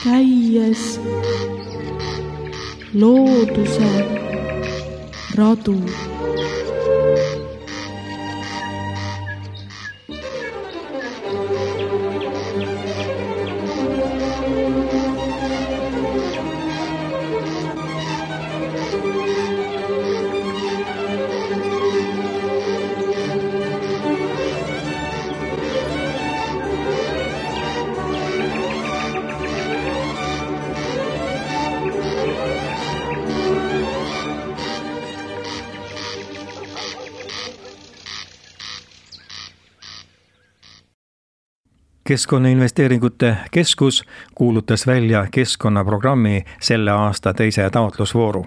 käies looduse radu. Keskkonnainvesteeringute Keskus kuulutas välja keskkonnaprogrammi selle aasta teise taotlusvooru.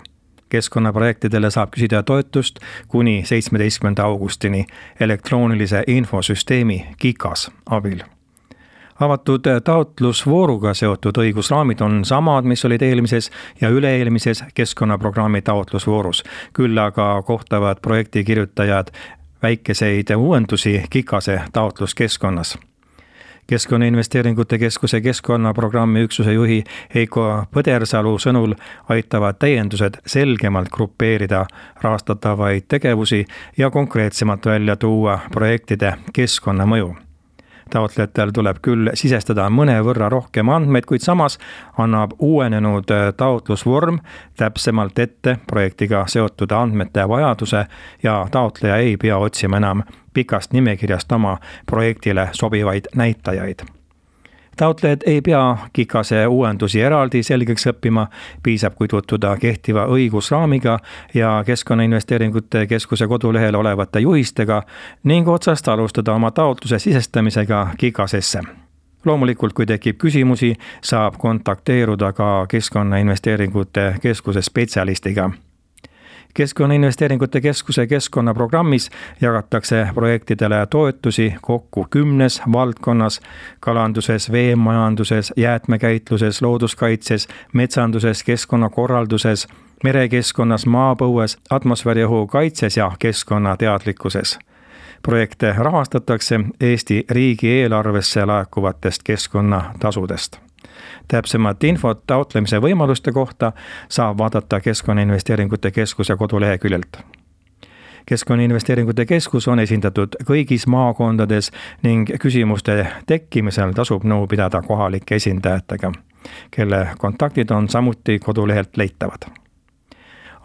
Keskkonnaprojektidele saab küsida toetust kuni 17. augustini elektroonilise infosüsteemi KIKAS abil. Avatud taotlusvooruga seotud õigusraamid on samad, mis olid eelmises ja üle-eelmises keskkonnaprogrammi taotlusvoorus. Küll aga kohtavad projekti kirjutajad väikeseid uuendusi KIKASe taotluskeskkonnas. Keskkonnainvesteeringute Keskuse keskkonnaprogrammi üksuse juhi Heiko Põdersalu sõnul aitavad täiendused selgemalt grupeerida rahastatavaid tegevusi ja konkreetsemalt välja tuua projektide keskkonnamõju. Taotlejatel tuleb küll sisestada mõnevõrra rohkem andmeid, kuid samas annab uuenenud taotlusvorm täpsemalt ette projektiga seotud andmete vajaduse ja taotleja ei pea otsima enam pikast nimekirjast oma projektile sobivaid näitajaid. Taotlejad ei pea KIKASe uuendusi eraldi selgeks õppima, piisab kui tutvuda kehtiva õigusraamiga ja Keskkonnainvesteeringute Keskuse kodulehel olevate juhistega ning otsast alustada oma taotluse sisestamisega KIKASesse. Loomulikult, kui tekib küsimusi, saab kontakteeruda ka Keskkonnainvesteeringute Keskuse spetsialistiga. Keskkonnainvesteeringute Keskuse keskkonnaprogrammis jagatakse projektidele toetusi kokku 10 valdkonnas: kalanduses, veemajanduses, jäätmekäitluses, looduskaitses, metsanduses, keskkonnakorralduses, merekeskkonnas, maapõues, atmosfääriõhu kaitses ja keskkonnateadlikkuses. Projekte rahastatakse Eesti riigieelarvesse laekuvatest keskkonnatasudest. Täpsemat infot taotlemise võimaluste kohta saab vaadata Keskkonnainvesteeringute Keskuse koduleheküljelt. Keskkonnainvesteeringute Keskus on esindatud kõigis maakondades ning küsimuste tekkimisel tasub nõu pidada kohalike esindajatega, kelle kontaktid on samuti kodulehelt leitavad.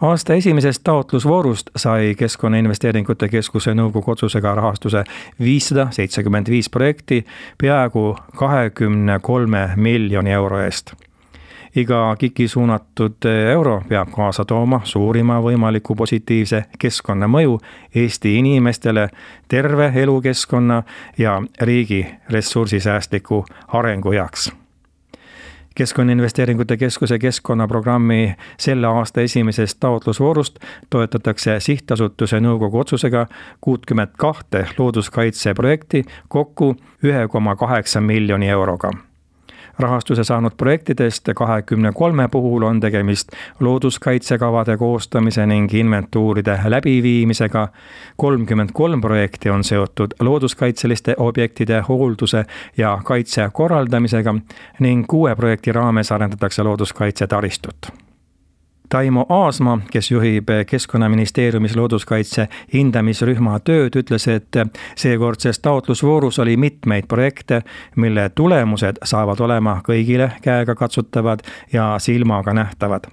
Aasta esimesest taotlusvoorust sai Keskkonnainvesteeringute Keskuse nõukogu otsusega rahastuse 575 projekti peaaegu 23 miljoni euro eest. Iga KIK-i suunatud euro peab kaasa tooma suurima võimaliku positiivse keskkonnamõju Eesti inimestele, terve elukeskkonna ja riigi ressursisäästliku arengu heaks. Keskkonnainvesteeringute Keskuse keskkonnaprogrammi selle aasta esimesest taotlusvoorust toetatakse sihtasutuse nõukogu otsusega 62 looduskaitseprojekti kokku 1,8 miljoni euroga. Rahastuse saanud projektidest 23 puhul on tegemist looduskaitsekavade koostamise ning inventuuride läbiviimisega, 33 projekti on seotud looduskaitseliste objektide hoolduse ja kaitse korraldamisega ning 6 projekti raames arendatakse looduskaitse taristut. Taimo Aasma, kes juhib Keskkonnaministeeriumis looduskaitse hindamisrühma tööd, ütles, et seekordses taotlusvoorus oli mitmeid projekte, mille tulemused saavad olema kõigile käega katsutavad ja silmaga nähtavad.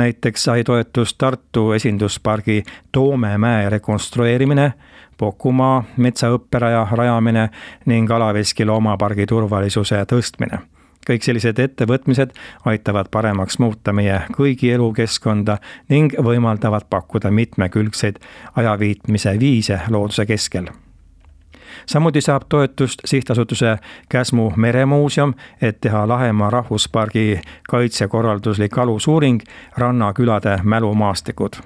Näiteks sai toetust Tartu esinduspargi Toomemäe rekonstrueerimine, Pokumaa metsaõpperaja rajamine ning Alaveski loomapargi turvalisuse tõstmine. Kõik sellised ettevõtmised aitavad paremaks muuta meie kõigi elukeskkonda ning võimaldavad pakkuda mitmekülgseid ajaviitmise viise looduse keskel. Samuti saab toetust sihtasutuse Käsmu meremuuseum, et teha Lahemaa rahvuspargi kaitsekorralduslik alusuuring rannakülade mälumaastikud.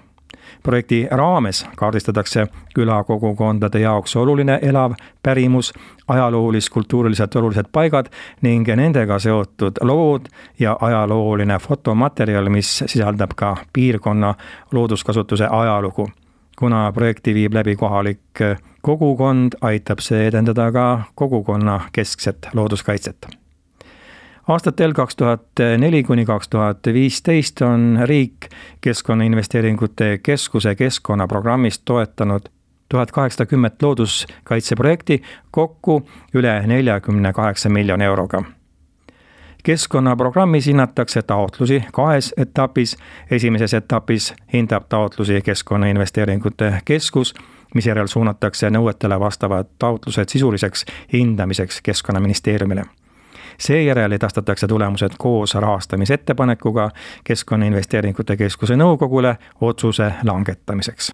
Projekti raames kaardistatakse külakogukondade jaoks oluline elav pärimus, ajaloolis-kultuuriliselt olulised paigad ning nendega seotud lood ja ajalooline fotomaterjal, mis sisaldab ka piirkonna looduskasutuse ajalugu. Kuna projekti viib läbi kohalik kogukond, aitab see edendada ka kogukonna keskset looduskaitset. Aastatel 2004–2015 on riik Keskkonnainvesteeringute Keskuse keskkonnaprogrammist toetanud 1810 looduskaitseprojekti kokku üle 48 miljoni euroga. Keskkonnaprogrammis hinnatakse taotlusi 2 etapis. Esimeses etapis hindab taotlusi Keskkonnainvesteeringute Keskus, misjärel suunatakse nõuetele vastavad taotlused sisuliseks hindamiseks Keskkonnaministeeriumile. Seejärel edastatakse tulemused koos rahastamisettepanekuga Keskkonnainvesteeringute Keskuse nõukogule otsuse langetamiseks.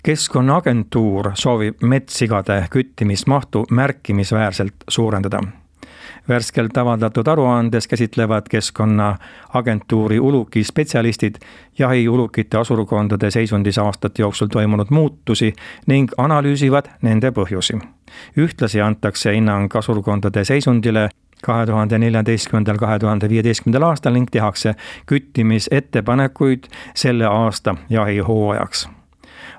Keskkonnaagentuur soovib metssigade küttimismahtu märkimisväärselt suurendada. Värskelt avaldatud aruandes käsitlevad Keskkonnaagentuuri ulukispetsialistid jahiulukite asurkondade seisundis aastate jooksul toimunud muutusi ning analüüsivad nende põhjusi. Ühtlasi antakse hinnang asurkondade seisundile 2014–2015 aastal ning tehakse küttimisettepanekuid selle aasta jahihooajaks.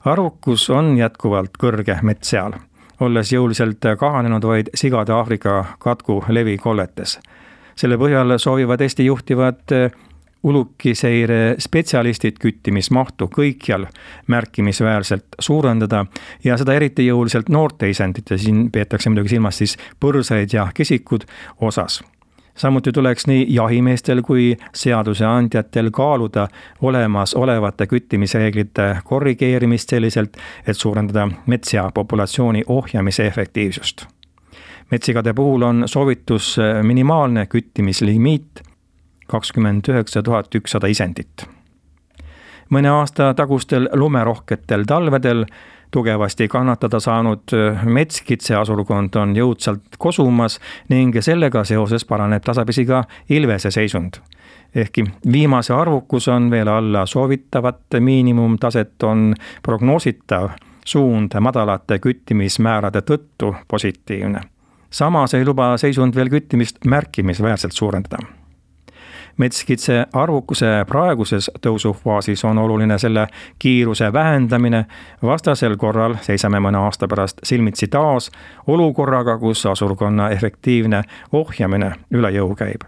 Arvukus on jätkuvalt kõrge metsseal, olles jõuliselt kahanenud vaid sigade Aafrika katku levikolletes. Selle põhjal soovivad Eesti juhtivad ulukiseire spetsialistid küttimismahtu kõikjal märkimisväärselt suurendada ja seda eriti jõuliselt noorte isendite, siin peetakse muidugi silmas siis põrsaid ja kesikud osas. Samuti tuleks nii jahimeestel kui seaduseandjatel kaaluda olemasolevate küttimisreeglite korrigeerimist selliselt, et suurendada metssea populatsiooni ohjamise efektiivsust. Metssigade puhul on soovitus minimaalne küttimislimiit 29 100 isendit. Mõne aasta tagustel lumerohketel talvedel tugevasti kannatada saanud metskitse asurkond on jõudsalt kosumas ning sellega seoses paraneb tasapisi ka ilvese seisund. Ehkki viimase arvukus on veel alla soovitavat miinimumtaset, on prognoositav suund madalate küttimismäärade tõttu positiivne. Samas ei luba seisund veel küttimist märkimisväärselt suurendada. Metskitse arvukuse praeguses tõusufaasis on oluline selle kiiruse vähendamine, vastasel korral seisame mõne aasta pärast silmitsi taas olukorraga, kus asurkonna efektiivne ohjamine üle jõu käib.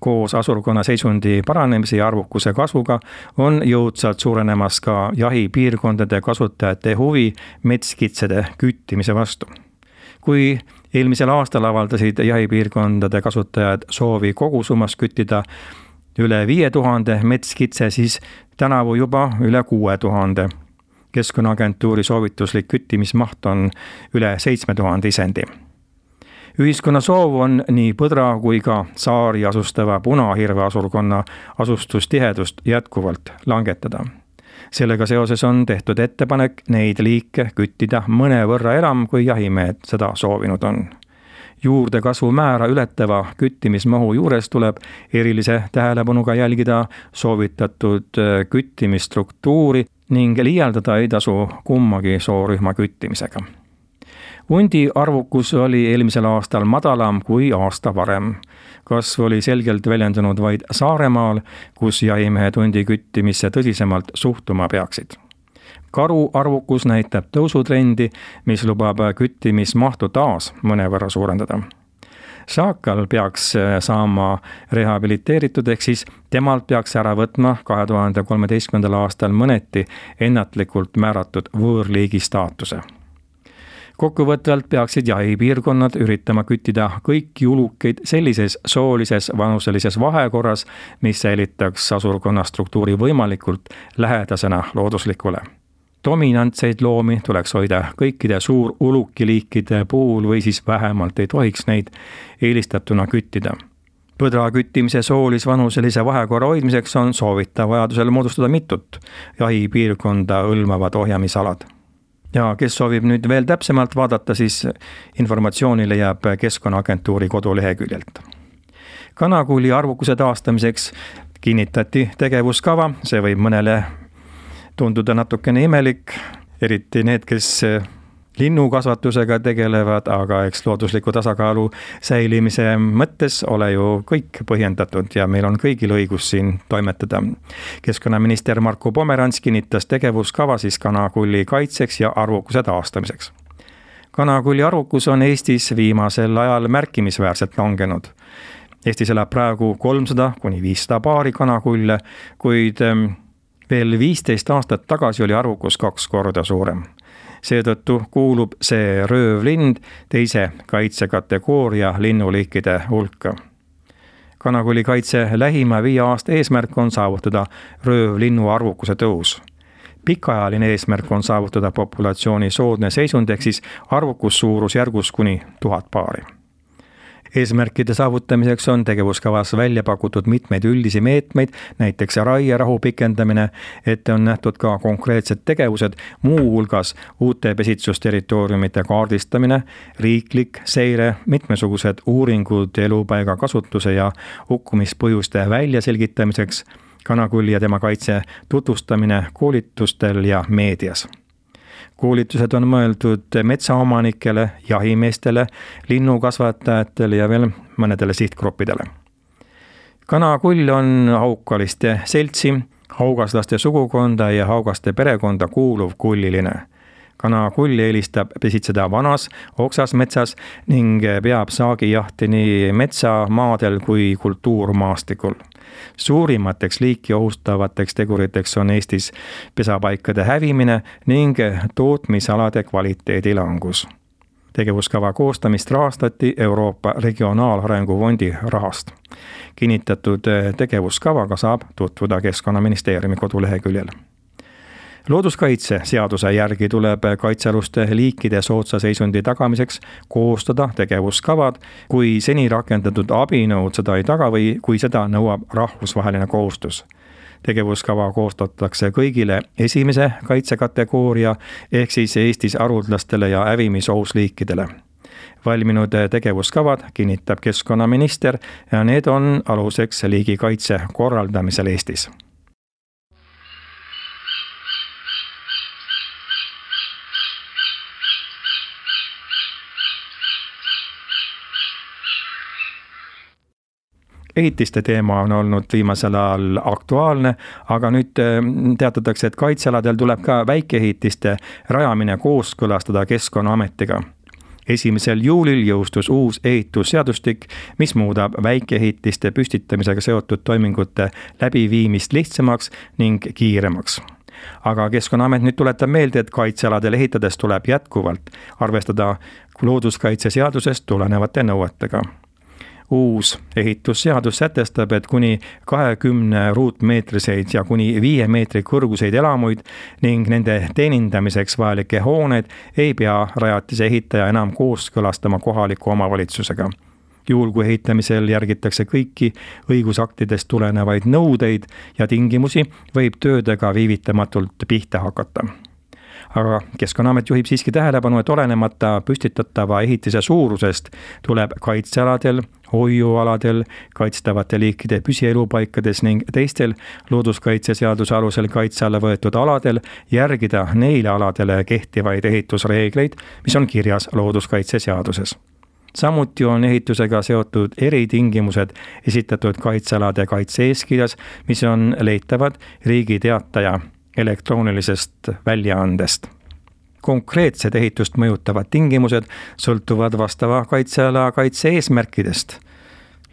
Koos asurkonna seisundi paranemise ja arvukuse kasvuga on jõudsalt suurenemas ka jahipiirkondade kasutajate huvi metskitsede küttimise vastu. Kui eelmisel aastal avaldasid jahipiirkondade kasutajad soovi kogusummas küttida üle 5000 metskitse, siis tänavu juba üle 6000. Keskkonnaagentuuri soovituslik küttimismaht on üle 7000 isendi. Ühiskonna soov on nii põdra kui ka saari asustava punahirve asurkonna asustustihedust jätkuvalt langetada. Sellega seoses on tehtud ettepanek neid liike küttida mõnevõrra enam, kui jahimehed seda soovinud on. Juurdekasvu määra ületava küttimismahu juures tuleb erilise tähelepanuga jälgida soovitatud küttimisstruktuuri ning liialdada ei tasu kummagi soorühma küttimisega. Hundi arvukus oli eelmisel aastal madalam kui aasta varem. Kasv oli selgelt väljendunud vaid Saaremaal, kus jahimehed hundi küttimisse tõsisemalt suhtuma peaksid. Karu arvukus näitab tõusutrendi, mis lubab küttimismahtu taas mõnevõrra suurendada. Saakal peaks saama rehabiliteeritud, ehk siis temalt peaks ära võtma 2013. aastal mõneti ennatlikult määratud võõrliigi staatuse. Kokkuvõtvalt peaksid jahipiirkonnad üritama küttida kõiki ulukeid sellises soolises vanuselises vahekorras, mis säilitaks asurkonna struktuuri võimalikult lähedasena looduslikule. Dominantseid loomi tuleks hoida kõikide suurulukiliikide puhul või siis vähemalt ei tohiks neid eelistatuna küttida. Põdra küttimise soolis-vanuselise vahekorra hoidmiseks on soovitav vajadusel moodustada mitut jahipiirkonda hõlmavad ohjamisalad. Ja kes soovib nüüd veel täpsemalt vaadata, siis informatsiooni leiab Keskkonnaagentuuri koduleheküljelt. Kanakulli arvukuse taastamiseks kinnitati tegevuskava, see võib mõnele tunduda natukene imelik, eriti need, kes linnukasvatusega tegelevad, aga eks loodusliku tasakaalu säilimise mõttes ole ju kõik põhjendatud ja meil on kõigil õigus siin toimetada. Keskkonnaminister Marko Pomerants kinnitas tegevuskava siis kanakulli kaitseks ja arvukuse taastamiseks. Kanakulli arvukus on Eestis viimasel ajal märkimisväärselt langenud. Eestis elab praegu 300–500 paari kanakulle, kuid veel 15 aastat tagasi oli arvukus 2 korda suurem. Seetõttu kuulub see röövlind teise kaitsekategooria linnuliikide hulka. Kanakulli kaitse lähima 5 aasta eesmärk on saavutada röövlinnu arvukuse tõus. Pikaajaline eesmärk on saavutada populatsiooni soodne seisund ehk siis arvukus suurusjärgus kuni 1000 paari. Eesmärkide saavutamiseks on tegevuskavas välja pakutud mitmeid üldisi meetmeid, näiteks raierahu pikendamine, ette on nähtud ka konkreetsed tegevused, muu hulgas uute pesitsusterritooriumite kaardistamine, riiklik seire, mitmesugused uuringud elupaiga kasutuse ja hukkumispõhjuste väljaselgitamiseks, kanakulli ja tema kaitse tutvustamine koolitustel ja meedias. Koolitused on mõeldud metsaomanikele, jahimeestele, linnukasvatajatele ja veel mõnedele sihtgruppidele. Kanakull on haukaliste seltsi, haugaslaste sugukonda ja haugaste perekonda kuuluv kulliline. Kanakull eelistab pesitseda vanas, oksas metsas ning peab saagijahti nii metsamaadel kui kultuurmaastikul. Suurimateks liiki ohustavateks teguriteks on Eestis pesapaikade hävimine ning tootmisalade kvaliteedi langus. Tegevuskava koostamist rahastati Euroopa Regionaalarengu Fondi rahast. Kinnitatud tegevuskavaga saab tutvuda Keskkonnaministeeriumi koduleheküljel. Looduskaitse seaduse järgi tuleb kaitsealuste liikide soodsa seisundi tagamiseks koostada tegevuskavad, kui seni rakendatud abinõud seda ei taga või kui seda nõuab rahvusvaheline kohustus. Tegevuskava koostatakse kõigile esimese kaitsekategooria ehk siis Eestis haruldastele ja hävimisohus liikidele. Valminud tegevuskavad kinnitab keskkonnaminister ja need on aluseks liigikaitse korraldamisel Eestis. Ehitiste teema on olnud viimasel ajal aktuaalne, aga nüüd teatatakse, et kaitsealadel tuleb ka väikeehitiste rajamine kooskõlastada Keskkonnaametiga. 1. juulil jõustus uus ehitusseadustik, mis muudab väikeehitiste püstitamisega seotud toimingute läbiviimist lihtsamaks ning kiiremaks. Aga Keskkonnaamet nüüd tuletab meelde, et kaitsealadel ehitades tuleb jätkuvalt arvestada looduskaitseseadusest tulenevate nõuetega. Uus ehitusseadus sätestab, et kuni 20 ruutmeetriseid ja kuni 5 meetri kõrguseid elamuid ning nende teenindamiseks vajalikke hooneid ei pea rajatise ehitaja enam kooskõlastama kohaliku omavalitsusega. Juhul kui ehitamisel järgitakse kõiki õigusaktidest tulenevaid nõudeid ja tingimusi, võib töödega viivitamatult pihta hakata. Aga Keskkonnaamet juhib siiski tähelepanu, et olenemata püstitatava ehitise suurusest tuleb kaitsealadel, hoiualadel, kaitstavate liikide püsielupaikades ning teistel looduskaitseseaduse alusel kaitse alla võetud aladel järgida neile aladele kehtivaid ehitusreegleid, mis on kirjas looduskaitseseaduses. Samuti on ehitusega seotud eritingimused esitatud kaitsealade kaitse-eeskirjas, mis on leitavad Riigi Teataja elektroonilisest väljaandest. Konkreetsed ehitust mõjutavad tingimused sõltuvad vastava kaitseala kaitse-eesmärkidest.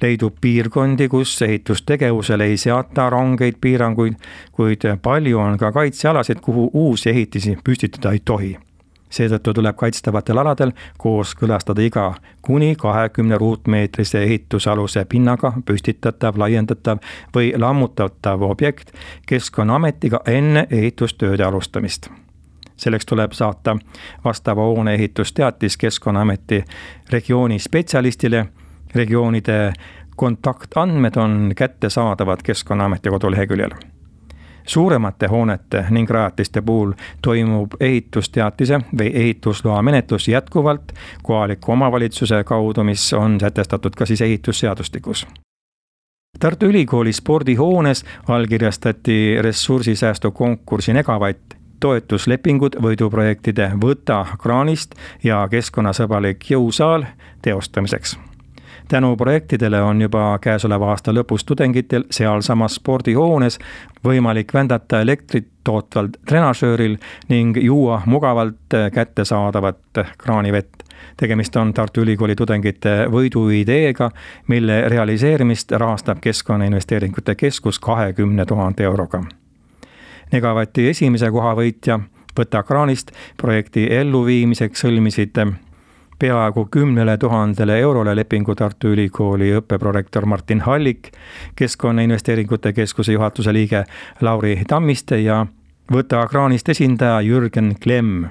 Leidub piirkondi, kus ehitustegevusele ei seata rangeid piiranguid, kuid palju on ka kaitsealasid, kuhu uusi ehitisi püstitada ei tohi. Seetõttu tuleb kaitstavatel aladel kooskõlastada iga kuni 20 ruutmeetrise ehitusaluse pinnaga püstitatav, laiendatav või lammutatav objekt Keskkonnaametiga enne ehitustööde alustamist. Selleks tuleb saata vastava hoone ehitusteatis Keskkonnaameti regiooni spetsialistile. Regioonide kontaktandmed on kättesaadavad Keskkonnaameti koduleheküljel. Suuremate hoonete ning rajatiste puhul toimub ehitusteatise või ehitusloa menetlus jätkuvalt kohaliku omavalitsuse kaudu, mis on sätestatud ka siis ehitusseadustikus. Tartu Ülikooli spordihoones allkirjastati ressursisäästu konkursi Negavatt toetuslepingud võiduprojektide Võta kraanist ja keskkonnasõbralik jõusaal teostamiseks. Tänu projektidele on juba käesoleva aasta lõpus tudengitel sealsamas spordihoones võimalik vändata elektrit tootval trenažööril ning juua mugavalt kättesaadavat kraanivett. Tegemist on Tartu Ülikooli tudengite võiduideega, mille realiseerimist rahastab Keskkonnainvesteeringute Keskus 20 000 euroga. Negavati esimese koha võitja Võta kraanist projekti elluviimiseks sõlmisid peaaegu 10 000 eurole lepingu Tartu Ülikooli õppeprorektor Martin Hallik, Keskkonnainvesteeringute Keskuse juhatuse liige Lauri Tammiste ja Võta kraanist esindaja Jürgen Klemm.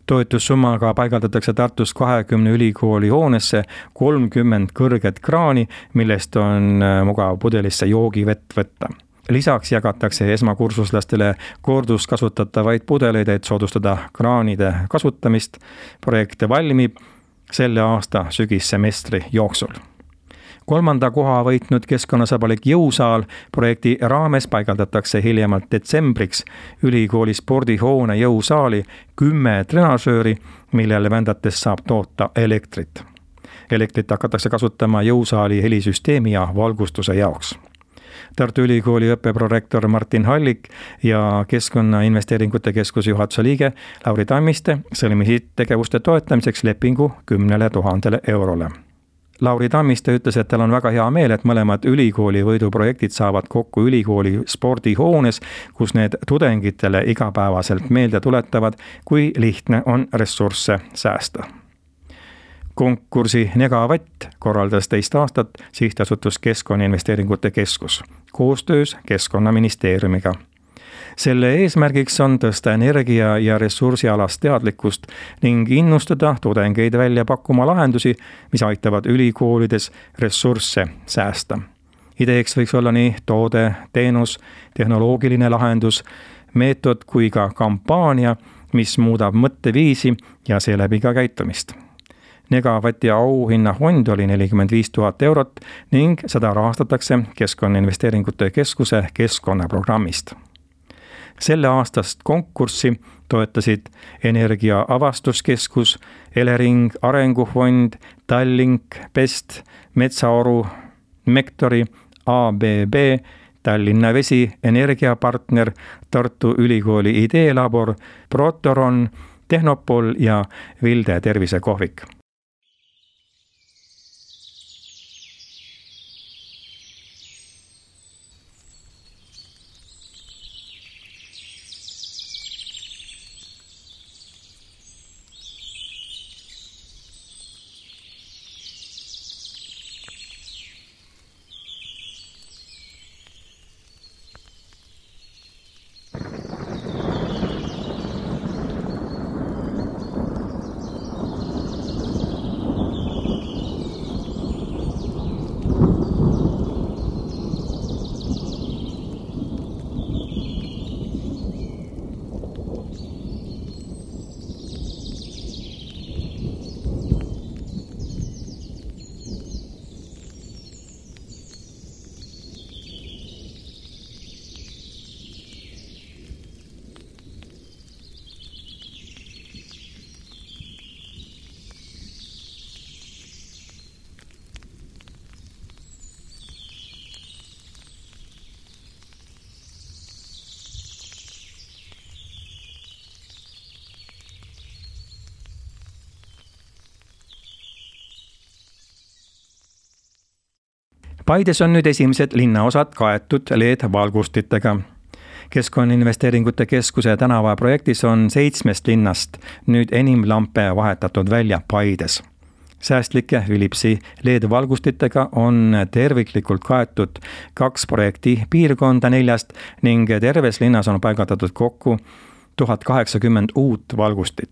Toetussummaga paigaldatakse Tartus 20 ülikooli hoonesse 30 kõrget kraani, millest on mugav pudelisse joogivett võtta. Lisaks jagatakse esmakursuslastele korduskasutatavaid pudeleid, et soodustada kraanide kasutamist. Projekt valmib selle aasta sügissemestri jooksul. 3. koha võitnud keskkonnasõbralik jõusaal projekti raames paigaldatakse hiljemalt detsembriks ülikooli spordihoone jõusaali 10 trenažööri, millele vändates saab toota elektrit. Elektrit hakatakse kasutama jõusaali helisüsteemi ja valgustuse jaoks. Tartu Ülikooli õppeprorektor Martin Hallik ja Keskkonnainvesteeringute Keskuse juhatuse liige Lauri Tammiste sõlmisid tegevuste toetamiseks lepingu 10 000 eurole. Lauri Tammiste ütles, et tal on väga hea meel, et mõlemad ülikooli võiduprojektid saavad kokku ülikooli spordihoones, kus need tudengitele igapäevaselt meelde tuletavad, kui lihtne on ressursse säästa. Konkursi Negavatt korraldas 2 aastat sihtasutus Keskkonnainvesteeringute Keskus koostöös Keskkonnaministeeriumiga. Selle eesmärgiks on tõsta energia- ja ressursialast teadlikkust ning innustada tudengeid välja pakkuma lahendusi, mis aitavad ülikoolides ressursse säästa. Ideeks võiks olla nii toode, teenus, tehnoloogiline lahendus, meetod kui ka kampaania, mis muudab mõtteviisi ja seeläbi ka käitumist. Negavati auhinnafond oli 45 000 eurot ning seda rahastatakse Keskkonnainvesteeringute Keskuse keskkonnaprogrammist. Selle aastast konkurssi toetasid Energia Avastuskeskus, Elering Arengufond, Tallink, Pest, Metsaoru, Mektori, ABB, Tallinna Vesi, Energiapartner, Tartu Ülikooli Ideelabor, Protoron, Tehnopol ja Vilde tervisekohvik. Paides on nüüd esimesed linnaosad kaetud LED-valgustitega. Keskkonnainvesteeringute Keskuse tänavaprojektis on 7 linnast nüüd enim lampe vahetatud välja Paides. Säästlike Philipsi LED-valgustitega on terviklikult kaetud 2 projekti piirkonda 4 ning terves linnas on paigatatud kokku 1080 uut valgustit.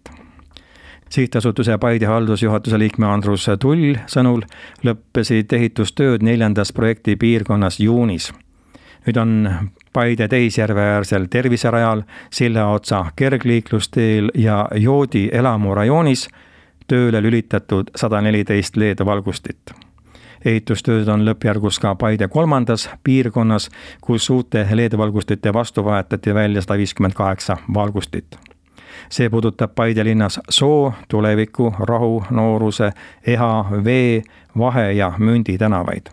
Sihtasutuse Paide haldusjuhatuse liikme Andrus Tull sõnul lõppesid ehitustööd 4. projekti piirkonnas juunis. Nüüd on Paide Teisjärveäärsel terviserajal, Sillaotsa kergliiklusteel ja Joodi elamurajoonis tööle lülitatud 114 LED-valgustit. Ehitustööd on lõppjärgus ka Paide 3. piirkonnas, kus uute LED-valgustite vastu vahetati välja 158 valgustit. See puudutab Paide linnas Soo, Tuleviku, Rahu, Nooruse, Eha, Vee, Vahe ja Mündi tänavaid.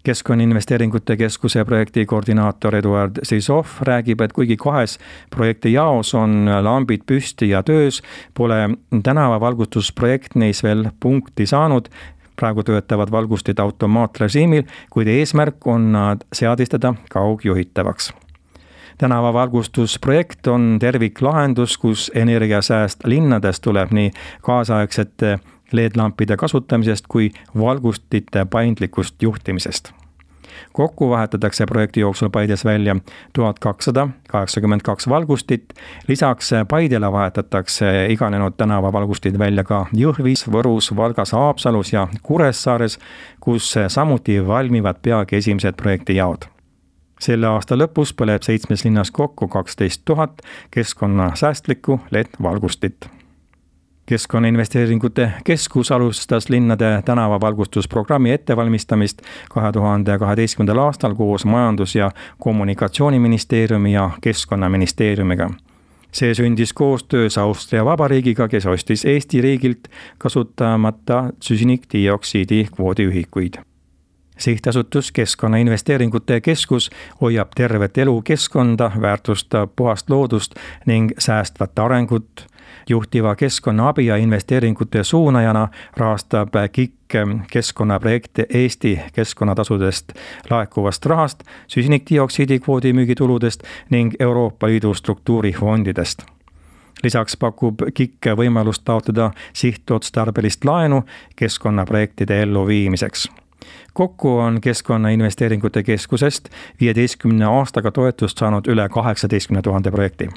Keskkonnainvesteeringute Keskuse projekti koordinaator Eduard Sisov räägib, et kuigi 2 projekti jaos on lambid püsti ja töös, pole tänavavalgustusprojekt neis veel punkti saanud. Praegu töötavad valgustid automaatrežiimil, kuid eesmärk on nad seadistada kaugjuhitavaks. Tänavavalgustusprojekt on terviklahendus, kus energiasääst linnades tuleb nii kaasaegsete LED-lampide kasutamisest kui valgustite paindlikust juhtimisest. Kokku vahetatakse projekti jooksul Paides välja 1282 valgustit, lisaks Paidele vahetatakse iganenud tänavavalgustid välja ka Jõhvis, Võrus, Valgas, Haapsalus ja Kuressaares, kus samuti valmivad peagi esimesed projekti jaod. Selle aasta lõpus põleb 7 linnas kokku 12 000 keskkonnasäästlikku LED-valgustit. Keskkonnainvesteeringute Keskus alustas linnade tänavavalgustusprogrammi ettevalmistamist 2012. aastal koos Majandus- ja Kommunikatsiooniministeeriumi ja Keskkonnaministeeriumiga. See sündis koostöös Austria Vabariigiga, kes ostis Eesti riigilt kasutamata süsinikdioksiidi kvoodiühikuid. Sihtasutus Keskkonnainvesteeringute Keskus hoiab tervet elu keskkonda, väärtustab puhast loodust ning säästvat arengut. Juhtiva keskkonnaabi ja investeeringute suunajana rahastab KIK keskkonnaprojekte Eesti keskkonnatasudest laekuvast rahast, süsinikdioksiidi kvoodi müügituludest ning Euroopa Liidu struktuurifondidest. Lisaks pakub KIK võimalust taotleda sihtotstarbelist laenu keskkonnaprojektide elluviimiseks. Kokku on Keskkonnainvesteeringute Keskusest 15 aastaga toetust saanud üle 18 000 projekti.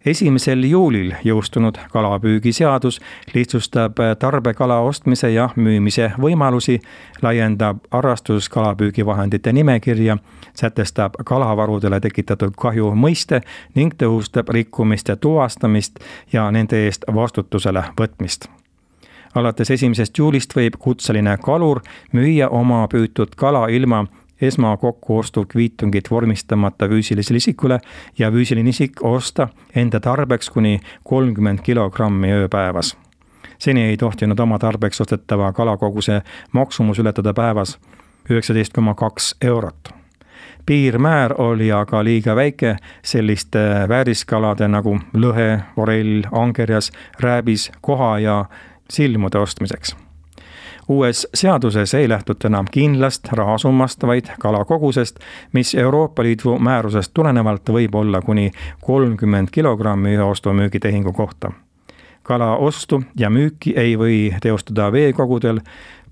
1. juulil jõustunud kalapüügiseadus lihtsustab tarbekala ostmise ja müümise võimalusi, laiendab harrastuskalapüügivahendite nimekirja, sätestab kalavarudele tekitatud kahju mõiste ning tõhustab rikkumiste tuvastamist ja nende eest vastutusele võtmist. Alates 1. juulist võib kutseline kalur müüa oma püütud kala ilma esmakokkuostu kviitungit vormistamata füüsilisele isikule ja füüsiline isik osta enda tarbeks kuni 30 kilogrammi ööpäevas. Seni ei tohtinud oma tarbeks ostetava kalakoguse maksumus ületada päevas 19,2 eurot. Piirmäär oli aga liiga väike selliste vääriskalade nagu lõhe, forell, angerjas, rääbis, koha ja silmude ostmiseks. Uues seaduses ei lähtuta enam kindlast rahasummast, vaid kalakogusest, mis Euroopa Liidu määrusest tulenevalt võib olla kuni 30 kilogrammi ühe ostu-müügitehingu kohta. Kala ostu ja müüki ei või teostada veekogudel,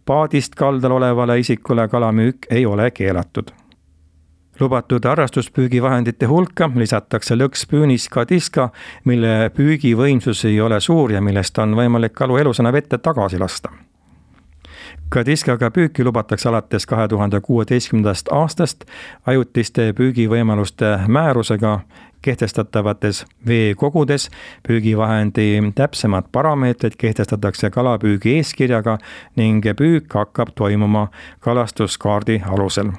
paadist kaldal olevale isikule kalamüük ei ole keelatud. Lubatud harrastuspüügivahendite hulka lisatakse lõkspüünis kadiska, mille püügivõimsus ei ole suur ja millest on võimalik kalu elusana vette tagasi lasta. Kadiskaga püüki lubatakse alates 2016. aastast ajutiste püügivõimaluste määrusega kehtestatavates veekogudes. Püügivahendi täpsemad parameetrid kehtestatakse kalapüügi eeskirjaga ning püük hakkab toimuma kalastuskaardi alusel.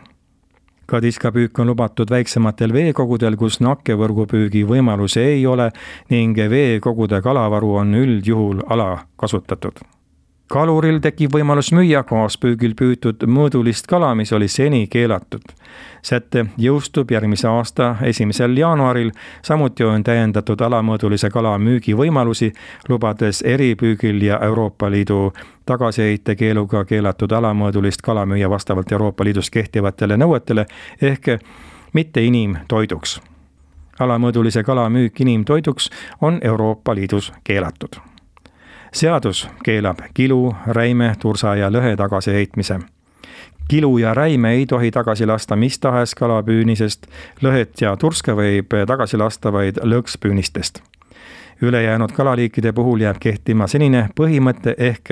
Kadiskapüük on lubatud väiksematel veekogudel, kus nakkevõrgupüügi võimalusi ei ole ning veekogude kalavaru on üldjuhul alakasutatud. Kaluril tekib võimalus müüa kaaspüügil püütud mõõdulist kala, mis oli seni keelatud. Säte jõustub järgmise aasta 1. jaanuaril, samuti on täiendatud alamõõdulise kala müügi võimalusi, lubades eripüügil ja Euroopa Liidu tagasiheite keeluga keelatud alamõõdulist kala müüa vastavalt Euroopa Liidus kehtivatele nõuetele ehk mitte inimtoiduks. Alamõõdulise kala müük inimtoiduks on Euroopa Liidus keelatud. Seadus keelab kilu, räime, tursa ja lõhe tagasiheitmise. Kilu ja räime ei tohi tagasi lasta mis tahes kalapüünisest, lõhet ja turska võib tagasi lasta vaid lõkspüünistest. Ülejäänud kalaliikide puhul jääb kehtima senine põhimõte ehk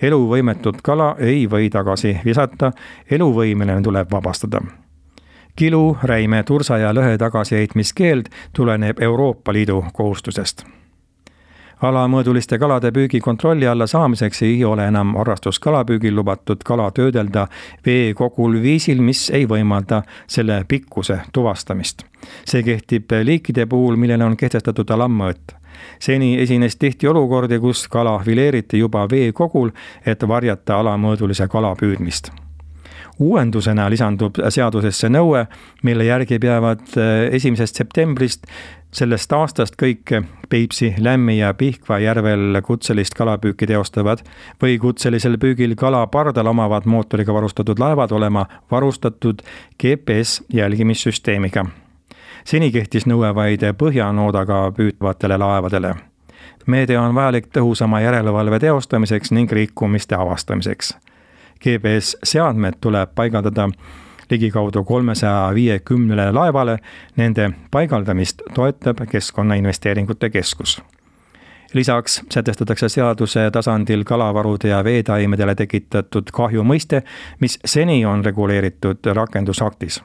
eluvõimetut kala ei või tagasi visata, eluvõimeline tuleb vabastada. Kilu, räime, tursa ja lõhe tagasiheitmiskeeld tuleneb Euroopa Liidu kohustusest. Alamõõduliste kalade püügi kontrolli alla saamiseks ei ole enam harrastuskalapüügil lubatud kala töödelda veekogul viisil, mis ei võimalda selle pikkuse tuvastamist. See kehtib liikide puhul, millele on kehtestatud alammõõt. Seni esines tihti olukordi, kus kala fileeriti juba veekogul, et varjata alamõõdulise kala püüdmist. Uuendusena lisandub seadusesse nõue, mille järgi peavad 1. septembrist sellest aastast kõik Peipsi, Lämmi ja Pihkva järvel kutselist kalapüüki teostavad või kutselisel püügil kala pardal omavad mootoriga varustatud laevad olema varustatud GPS jälgimissüsteemiga. Seni kehtis nõue vaid põhjanoodaga püütavatele laevadele. Meede on vajalik tõhusama järelevalve teostamiseks ning rikkumiste avastamiseks. GPS-seadmed tuleb paigaldada ligikaudu 350 laevale, nende paigaldamist toetab Keskkonnainvesteeringute Keskus. Lisaks sätestatakse seaduse tasandil kalavarude ja veetaimedele tekitatud kahju mõiste, mis seni on reguleeritud rakendusaktis.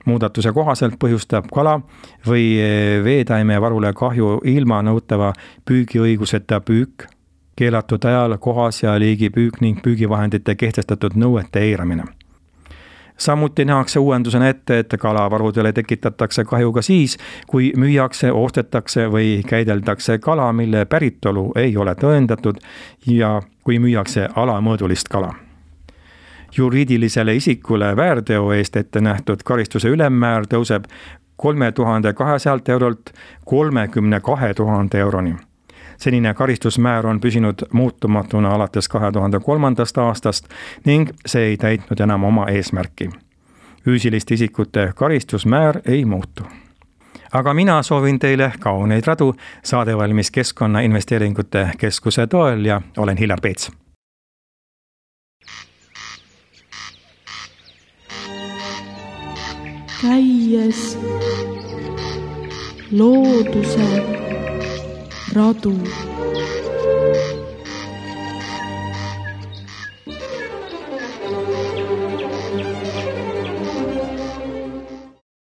Muudatuse kohaselt põhjustab kala või veetaime varule kahju ilma nõutava püügiõiguseta püük, keelatud ajal, kohas ja liigi püük ning püügivahendite kehtestatud nõuete eiramine. Samuti nähakse uuendusena ette, et kalavarudele tekitatakse kahju ka siis, kui müüakse, ostetakse või käideldakse kala, mille päritolu ei ole tõendatud ja kui müüakse alamõõdulist kala. Juriidilisele isikule väärteo eest ette nähtud karistuse ülemmäär tõuseb 3200 eurolt 32 000 euroni. Senine karistusmäär on püsinud muutumatuna alates 2003. aastast ning see ei täitnud enam oma eesmärki. Füüsiliste isikute karistusmäär ei muutu. Aga mina soovin teile kauneid radu, saade valmis Keskkonnainvesteeringute Keskuse toel ja olen Hillar Peets. Käies looduse radu